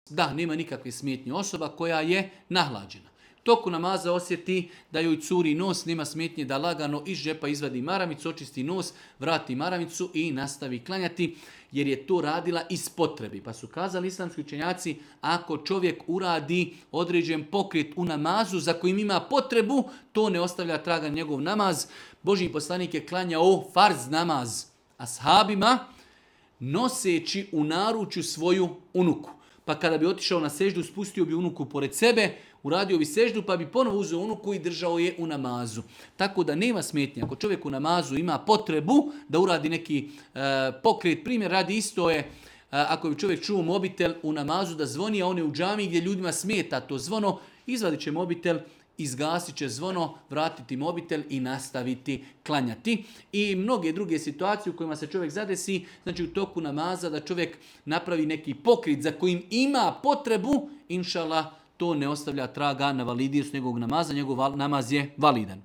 Da, nema nikakve smetnje. Osoba koja je nahlađena. Toku namaza osjeti da joj curi nos, nema smetnje da lagano iz džepa izvadi maramicu, očisti nos, vrati maramicu i nastavi klanjati, jer je to radila iz potrebi. Pa su kazali islamski učenjaci, ako čovjek uradi određen pokret u namazu za kojim ima potrebu, to ne ostavlja traga njegov namaz. Božji poslanik je klanjao farz namaz ashabima, noseći u naručju svoju unuku. Pa kada bi otišao na seždu, spustio bi unuku pored sebe, uradio bi seždu, pa bi ponovo uzeo unuku i držao je u namazu. Tako da nema smetnje. Ako čovjek u namazu ima potrebu da uradi neki pokret, primjer radi isto je, ako bi čovjek čuo mobitel u namazu da zvoni, a on je u džamiji gdje ljudima smeta to zvono, izvadit će mobitel, izgasit će zvono, vratiti mobitel i nastaviti klanjati. I mnoge druge situacije u kojima se čovjek zadesi, znači u toku namaza da čovjek napravi neki pokret za kojim ima potrebu, inšallah, to ne ostavlja traga na validijost njegovog namaza, njegov namaz je validan.